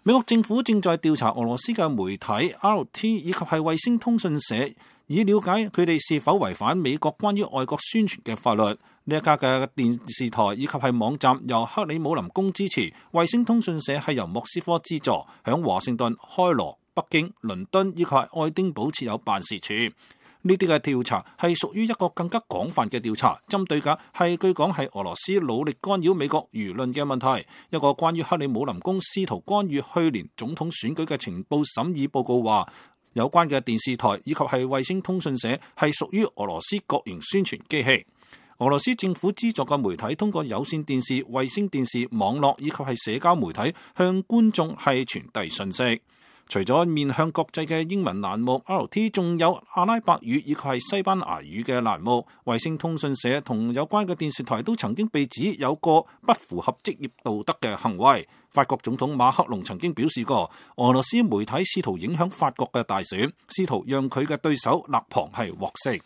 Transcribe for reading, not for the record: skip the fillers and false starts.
美國政府正在調查俄羅斯嘅媒體 RT 以及係衛星通訊社，以了解佢哋是否違反美國關於外國宣傳嘅法律。呢一家嘅電視台以及係網站由克里姆林宮支持，衛星通訊社係由莫斯科資助，響華盛頓、開羅、北京、倫敦以及係愛丁堡設有辦事處。呢啲嘅調查係屬於一個更加廣泛嘅調查，針對嘅係據講係俄羅斯努力干擾美國輿論嘅問題。一個關於克里姆林宮試圖干預去年總統選舉嘅情報審議報告話，有關嘅電視台以及係衛星通訊社係屬於俄羅斯國營宣傳機器。俄羅斯政府資助嘅媒體通過有線電視、衛星電視、網絡以及係社交媒體向觀眾係傳遞信息。除咗面向國際嘅英文欄目 RT， 仲有阿拉伯語以及係西班牙語嘅欄目。衛星通訊社同有關嘅電視台都曾經被指有個不符合職業道德嘅行為。法國總統馬克龍曾經表示過，俄羅斯媒體試圖影響法國嘅大選，試圖讓佢嘅對手勒龐係獲釋。